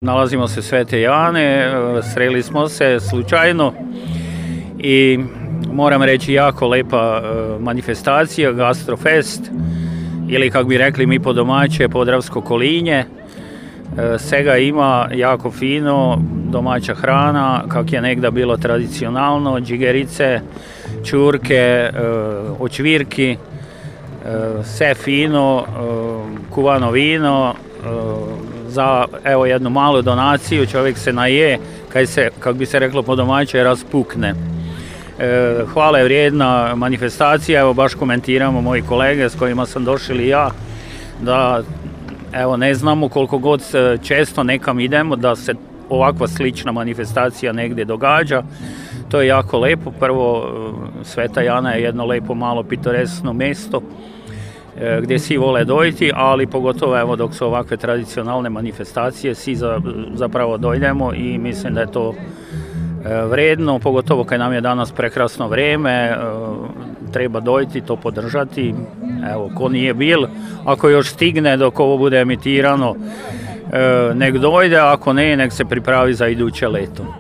Nalazimo se Svete Jane, sreli smo se slučajno i moram reći jako lepa manifestacija, Gastrofest ili kako bi rekli mi po domaće Podravsko kolinje. Svega ima jako fino, domaća hrana, kak je nekda bilo tradicionalno, džigerice, čurke, očvirki, sve fino, kuvano vino, za evo jednu malu donaciju čovjek se naje, kako bi se reklo po domaće, raspukne. Hvale vrijedna manifestacija, evo baš komentiramo moji kolege s kojima sam došli i ja, da evo ne znamo koliko god često nekam idemo da se ovakva slična manifestacija negdje događa. To je jako lepo. Prvo, Sveta Jana je jedno lepo malo pitoresno mjesto gdje svi vole dojti, ali pogotovo evo dok su ovakve tradicionalne manifestacije svi zapravo dojdemo i mislim da je to vredno, pogotovo kad nam je danas prekrasno vrijeme, treba dojti, to podržati. Evo, ko nije bil, ako još stigne dok ovo bude emitirano, nek dojde, ako ne, nek se pripravi za iduće leto.